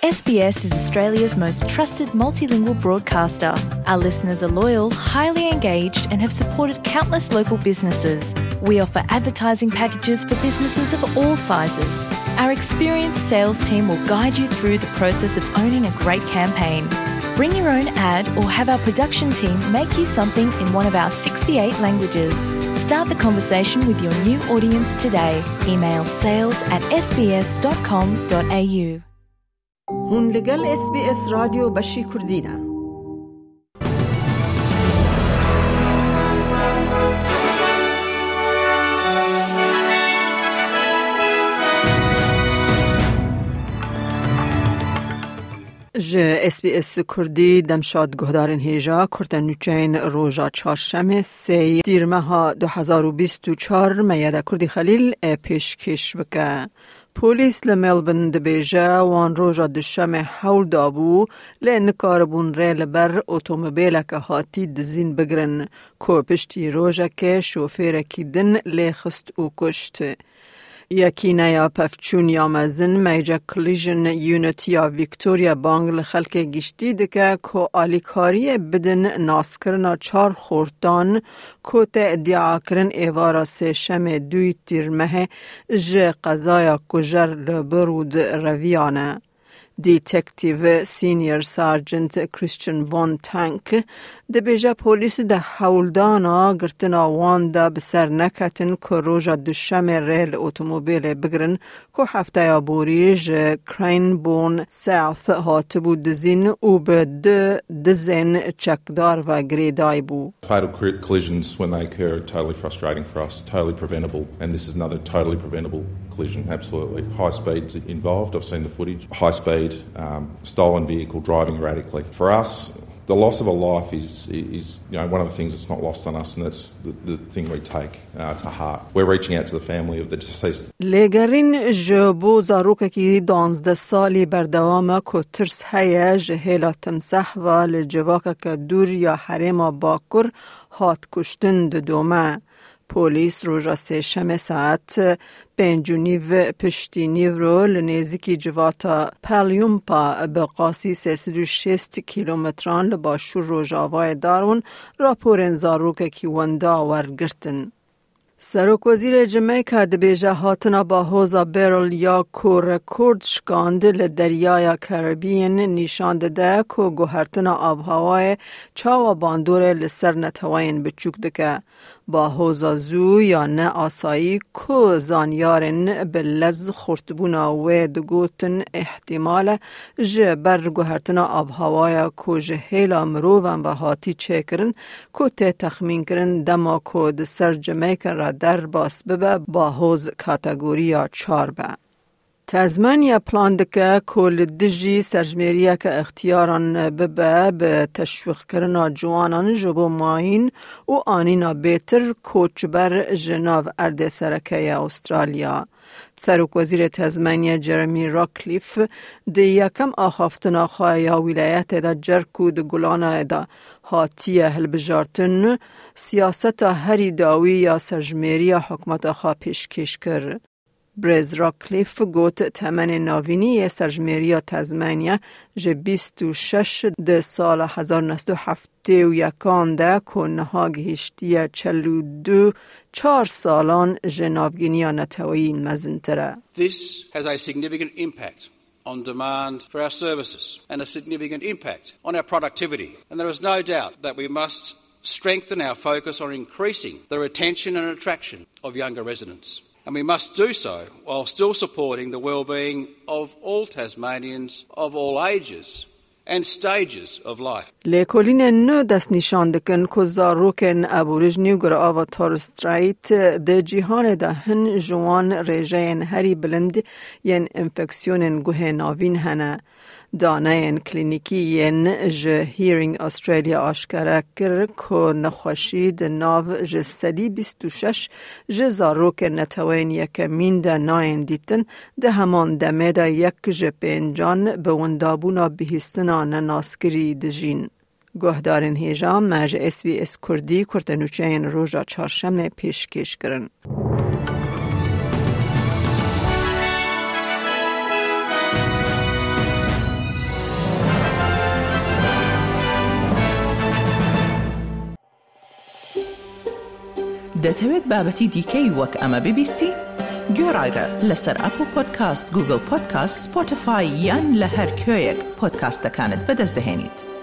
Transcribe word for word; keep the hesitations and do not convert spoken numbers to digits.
S B S is Australia's most trusted multilingual broadcaster. Our listeners are loyal, highly engaged, and have supported countless local businesses. We offer advertising packages for businesses of all sizes. Our experienced sales team will guide you through the process of owning a great campaign. Bring your own ad or have our production team make you something in one of our sixty-eight languages. Start the conversation with your new audience today. Email sales at S B S dot com dot A U. Hûn li gel S B S Radyo Beşî Kurdî ne. Ji S B S Kurdî demşad guhdarên hêja kurte nûçeyên roja çarşemê sê tîrmeha du hezar û bîst û çar Meyeda Kurdî Xelîl e pêşkêş bike. Polîs li Melbourne dibêje, wan roja duşemê hewl dabû, lê nikaribûn rê li ber otomobêleke hatî dizîn bigirin, ku piştî rojekê şofêrekî din lê xist û kuşt. Yekîneya Pevçûn ya Mezin, Major Collision Unit ya Victoria, bang li xelkê giştî dike, ku alîkariyê bidin naskirina çar xortan, ku tê îdiakirin êvara sêşemê duyî tîrmehê ji qezaya kujer li Burwood reviyane. Detective Senior Sergeant Christian Von Tank dibêje, polîs di hewldana girtina wan de bi ser neketin, ku roja duşemê rê li otomobîlê bigirin, ku hefteya borî ji Cranbourne South hatibû dizîn û bi du dizên çekdar ve girêdayî bû. Fatal cri-, collisions, when they occur, are totally frustrating for us, totally preventable, and this is another totally preventable collision, absolutely. High speed's involved, I've seen the footage. High speed, um, stolen vehicle, driving erratically. For us, the loss of a life is, is, you know, one of the things that's not lost on us, and that's the, the thing we take, uh, to heart. We're reaching out to the family of the deceased. Lêgerîn ji bo zarokekî duwazdeh salî berdewam e, ku tirs heye ji hêla timseh ve li civakeke dûr ya herêma Bakur hat kuştin didome. Polîs roja sêşemê saet pênc û nîv piştî nîvro li nêzîkî civata Palyumpa, bi qasî sê sed û şêst kîlometran li başûr rojavayê Darwin, raporên zarokekî wenda wergirtin. Serokwezîrê Jamaica dibêje, hatina bahoza Beryl ya ku rekord şikand li Deryaya Karibiyên nîşan dide, ku guhertina avhewayê çawa bandorê li ser neteweyên biçûk dike. Bahoza zû ya ne asayî, ku zanyarên bi lez xurtbûna wê digotin îhtîmal e, ji ber guhertina avhewaya ku ji hêla mirovan ve hatî çêkirin, ku tê texmînkirin dema ku di ser Jamaica re derbas bibe, bahoz kategoriya çar be. Tasmania plan dike ku li dijî serjimêriyeke ixtiyaran bibe, bi teşwîqkirina ciwanan ji bo mayîn û anîna bêtir koçber ji nav erdê sereke ya Australya. Serokwezîrê Tasmania Jeremy Ratcliffe di yekem axaftina xwe ya wîlayetê de cer ku di Gulanayê de hatiye hilbijartin, siyaseta herî dawî ya serjimêriya hikûmeta xwe pêşkêş kir. Birêz Ratcliffe got, temenê navînî yê serjimêriya Tasmania ji bîst û şeş di sala hezar neh sed û heftê û yekan de ku niha gihiştiye çel û du, çar salan ji navgîniya neteweyî mezintir e. This has a significant impact on demand for our services and a significant impact on our productivity. And there is no doubt that we must strengthen our focus on increasing the retention and attraction of younger residents. And we must do so while still supporting the well-being of all Tasmanians of all ages and stages of life. Lêkolînên nû destnîşan dikin ku zarokên aborîjnî û girava Torres Strait di cîhanê de hin ji wan rêjeyên herî bilind yên enfeksiyonên guhê navîn hene. Daneyên klînîkî yên ji Hearing Australia aşkere kir ku nexweşî di nav ji sedî bîst û şeş ji zarokên neteweyên yekemîn de nayên dîtin, di heman demê de yek ji pêncan bi windabûna bihîstina nenaskirî dijîn. Guhdarên hêja, me ji S B S Kurdî kurtenûçeyên roja çarşemê pêşkêş kirin. دەتەوێت بابەتی دیکەی وەک ئەمە ببیستی؟ گوێڕایرە لەسەر ئەپڵ پۆدکاست، گوگڵ پۆدکاست، سپۆتیفای یان لە هەر کوێیەک پۆدکاستەکانت بەدەست دەهێنیت.